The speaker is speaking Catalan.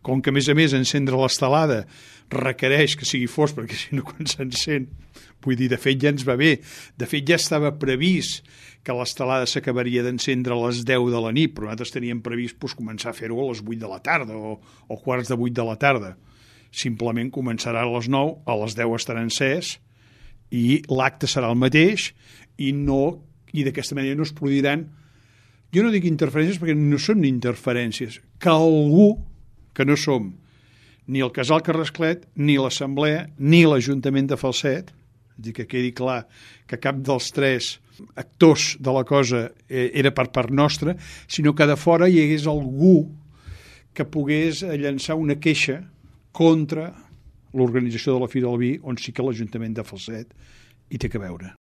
com que a més encendre l'estelada requereix que sigui fosc, perquè si no quan s'encén, vull dir, de fet ja ens va bé, de fet ja estava previst que l'estelada s'acabaria d'encendre a les 10 de la nit, però nosaltres teníem previst començar a fer-ho a les 8 de la tarda o quarts de 8 de la tarda. Simplement començarà a les 9, a les 10 estarà encès i l'acte serà el mateix i d'aquesta manera no es produiran, jo no dic interferències perquè no són interferències, que algú que no som ni el Casal Carrasclet, ni l'Assemblea, ni l'Ajuntament de Falset, és a dir, que quedi clar que cap dels tres actors de la cosa era per part nostra, sinó que de fora hi hagués algú que pogués llançar una queixa contra l'organització de la Fira del Vi, on sí que l'Ajuntament de Falset hi té que veure.